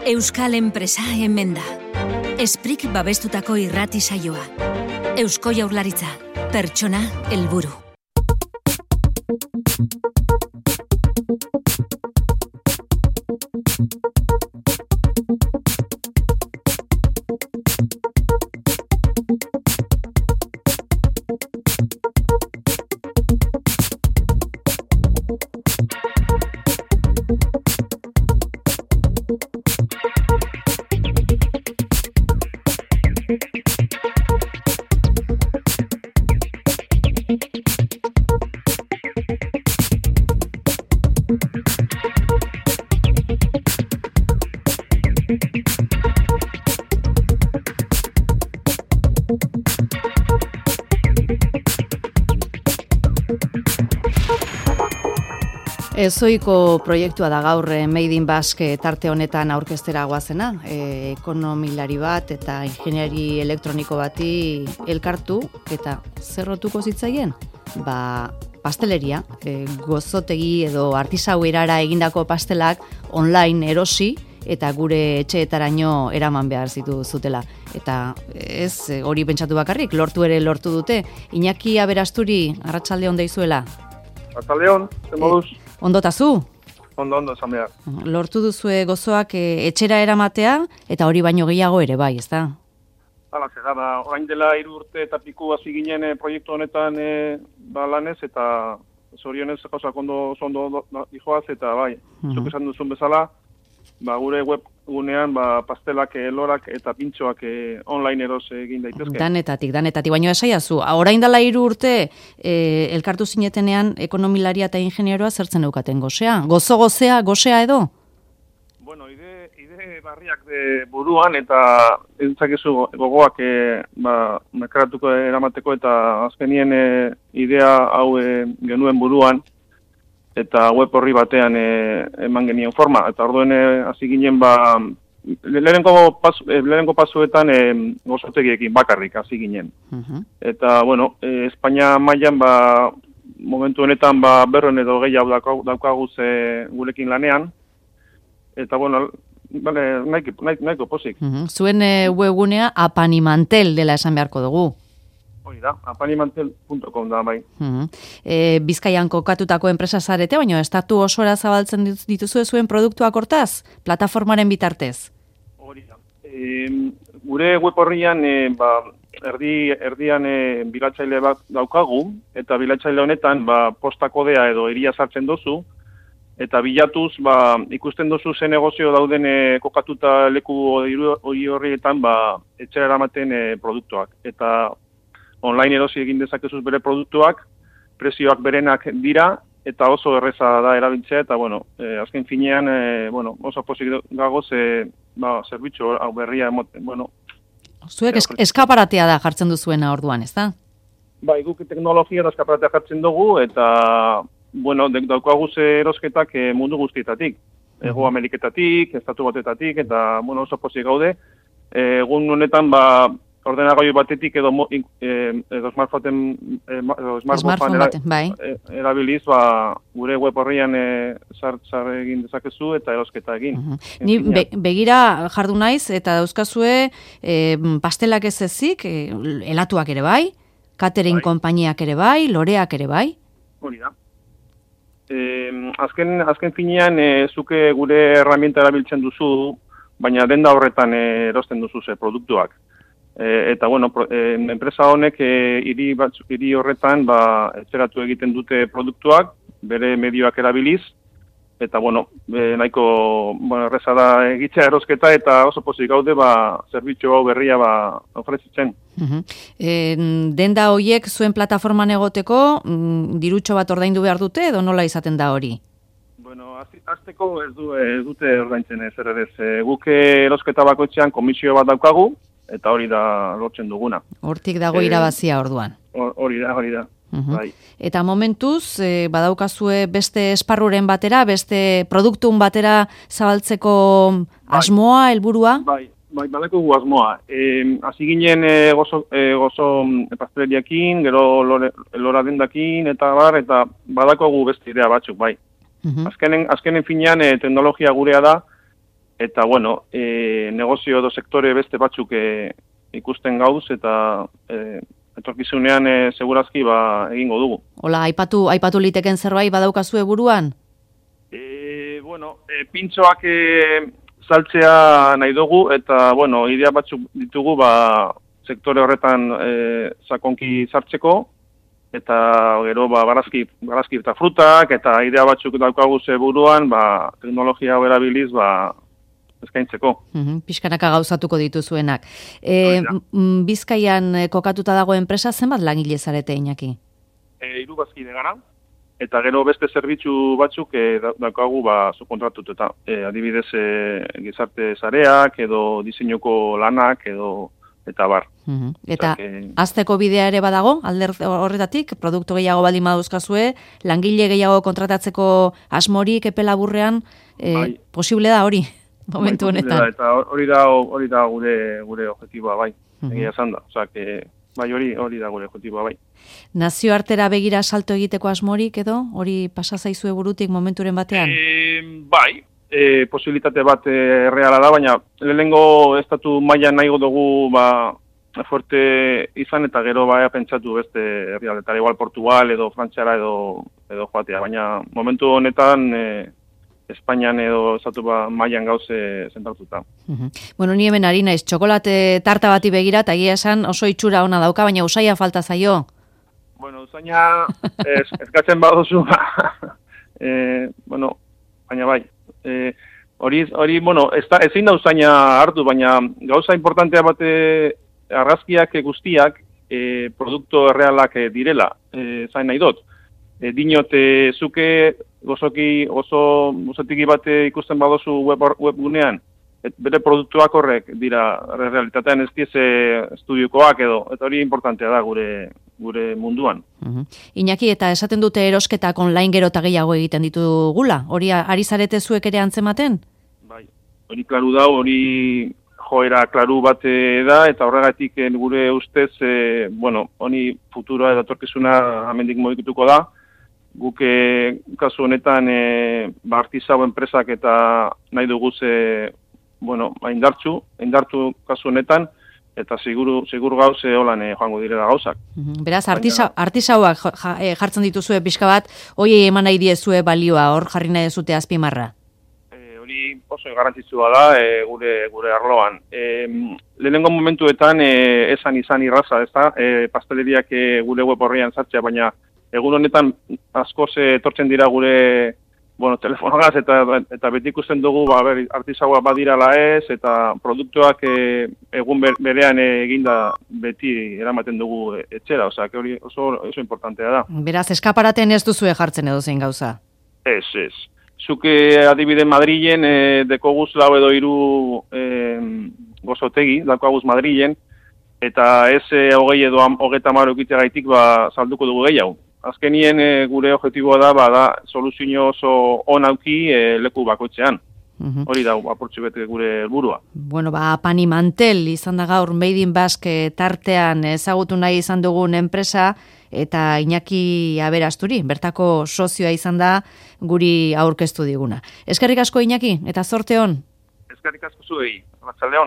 Euskal enpresa hemen da. Esprik babestutako irrati saioa. Eusko Jaurlaritza, pertsona helburu. Ezoiko proiektua da gaur Made in Basque tarte honetan aurkeztera goazena. Ekonomilari bat eta ingeniari elektroniko bati elkartu eta zerrotuko zitzaien? Pasteleria, gozotegi edo artisau erara egindako pastelak online erosi eta gure etxeetaraino eraman behar zutela. Eta ez hori pentsatu bakarrik, lortu dute. Iñaki Aberasturi, arratsalde on deizuela. Arratsalde on, ze moduz? Ondotazu? Ondo, esan behar. Lortu duzue gozoak etxera eramatea, eta hori baino gehiago ere bai, ezta? Hala, zera, orain dela 3 urte eta piku hasi ginen proiektu honetan lanez, eta zorionez gauzak ondo dijoaz, eta bai, zuk esan duzun bezala, gure webgunean pastelak, lorak eta pintxoak online eros egin daitezke. Danetatik, baina esaiazu, orain dela 3 urte elkartu zinetenean ekonomilaria eta ingenieroa zertzen eukaten gozea? Gozea edo? Bueno, ide barriak de buruan eta entzakezu gogoak mekaratuko eramateko eta azkenien idea hau genuen buruan, eta web horri batean eman genien forma. Eta orduen hasi ginen lehenengo pasuetan gozotegiekin bakarrik hasi ginen. Eta, bueno, Espainia mailan momentu honetan 200 edo gehiago daukaguz gurekin lanean. Eta, bueno, nahiko pozik. Zuen webgunea apanimantel dela esan beharko dugu. Hori da, apanimantel.com da, bai. Bizkaian kokatutako enpresa zarete, baina estatu osora zabaltzen dituzue zuen produktuak hortaz, plataformaren bitartez? Hori da. Gure web horrian erdian bilatzaile bat daukagu, eta bilatzaile honetan posta kodea edo hiria sartzen dozu, eta bilatuz ikusten dozu ze negozio dauden kokatuta leku hori horrietan etxera eramaten produktuak. Eta online erosi egin dezakezuz bere produktuak, prezioak berenak dira, eta oso erreza da erabiltzea, eta, bueno, azken finean, oso posik gagoz, zerbitzu hau berria emoten, bueno. Zuek eskaparatea da jartzen duzuena orduan, ez da? Bai, guk teknologia da eskaparatea jartzen dugu, eta, bueno, daukaguz erosketak mundu guztietatik. Ego Ameriketatik, Estatu Batetatik, eta, bueno, oso posik gaude. Egun honetan, ordenagailu batetik edo smartphone erabiliz gure web horrian sar egin dezakezu eta erosketa egin. Ni begira jardu naiz eta dauzkazue pastelak ez ezik, helatuak ere bai, catering konpainiak ere bai, loreak ere bai. Hori da. Azken finean zuke gure herramienta erabiltzen duzu, baina denda horretan erosten duzu produktuak. Eta, bueno, enpresa honek hiri horretan etxeratu egiten dute produktuak, bere medioak erabiliz, eta, bueno, nahiko erreza da egitzea erosketa eta oso pozik gaude zerbitzu hau berria ofrezitzen. Denda horiek zuen plataforman egoteko, dirutxo bat ordaindu behar dute edo nola izaten da hori? Bueno, azteko ez dute ordaintzen zer ere. Guk erosketa bakoitzean komisio bat daukagu, eta hori da lortzen duguna. Hortik dago irabazia orduan. Hori da. Bai. Eta momentuz, badaukazue beste esparruren batera, beste produktun batera zabaltzeko asmoa, helburua? Bai, badeko asmoa. Hasi ginen gozo pasteleriakin, gero lora dendakin, eta badako beste idea batzuk, bai. Azkenen finean teknologia gurea da, eta bueno, negozio edo sektore beste batzuk ikusten gauz, eta etorkizunean segurazki egingo dugu. Hola, aipatu liteken zerbait badaukazue buruan? Bueno, pintxoak saltzea nahi dugu, eta bueno, idea batzuk ditugu sektore horretan sakonki sartzeko, eta gero barazki eta frutak, eta idea batzuk daukagu buruan, teknologia berabiliz eskaintzeko. Pixkanaka gauzatuko dituzuenak. Bizkaian kokatuta dago enpresa, zenbat langile zarete, Iñaki? 3 bazkide gara, eta gero beste zerbitzu batzuk daukagu subkontratututa. Adibidez, gizarte sareak, edo diseinuko lanak, eta bar. Eta azteko bidea ere badago, alder horretatik, produktu gehiago baldin baduzkazue, langile gehiago kontratatzeko asmorik epe laburrean, posible da hori, momentu honetan. Eta hori da gure objektiboa, bai, egia esan da. Osea, hori da gure objektiboa, bai. Nazioartera begira salto egiteko asmorik edo, hori pasa zaizue burutik momenturen batean? Bai, posibilitate bat erreala da, baina lehenengo estatu mailan nahigo dugu fuerte izan, eta gero pentsatu beste herrialdetara, igual Portugal edo Frantziara edo joatea, baina momentu honetan Espainian edo estatu mailan gauze zentratuta. Bueno, ni hemen ari naiz, txokolate tarta bati begira, eta egia esan oso itxura ona dauka, baina usaia falta zaio. Bueno, usaina eskatzen baduzu, bueno, baina bai. Hori, bueno, ezin da usaina hartu, baina gauza importantea bate argazkiak guztiak produktu errealak direla, zain nahi dut. Dinote zuke gozotiki bat ikusten badozu webgunean, bere produktuak horrek dira realitatean ez dieze estudiokoak edo, eta hori importantea da gure munduan. Iñaki, eta esaten dute erosketak online gero eta gehiago egiten ditugula, hori ari zarete zuek ere antzematen? Bai, hori klaru da, hori joera klaru bat da, eta horregatik gure ustez, bueno, honi futura edo etorkizuna hemendik mugituko da, guk kasu honetan artisau enpresak eta nahi dugu bueno, indartu kasu honetan, eta segur gauze holan joango direla gauzak. Beraz, artisauak jartzen dituzue pixka bat, hoi eman nahi diezue balioa, hor jarri nahi dezute azpimarra? Hori oso garrantzitsua da gure arloan. Lehenengo momentuetan esan izan irraza, ezta? Pasteleriak gure web horrian sartzea, baina egun honetan askoz etortzen dira gure telefonogaz, eta beti ikusten dugu artisaua badirala ez, eta produktuak egun berean eginda beti eramaten dugu etxera, osea, hori oso importantea da. Beraz, eskaparaten ez duzue jartzen edo zein gauza? Ez. Zuke adibide Madrilen dekoguz 4 edo 3 gozotegi, dakoguz Madrilen, eta ez 20 edo 30 ukiteagaitik salduko dugu gehiago. Azkenien gure objektiboa da soluzio oso onauki leku bakoitzean. Hori da apurtxu bete gure helburua. Bueno, Pani Mantel izan da gaur Made in Basque tartean ezagutu nahi izan dugun enpresa, eta Iñaki Aberasturi, bertako sozioa izan da guri aurkeztu diguna. Eskerrik asko, Iñaki, eta zorte on. Eskerrik asko zuei, arratsalde on.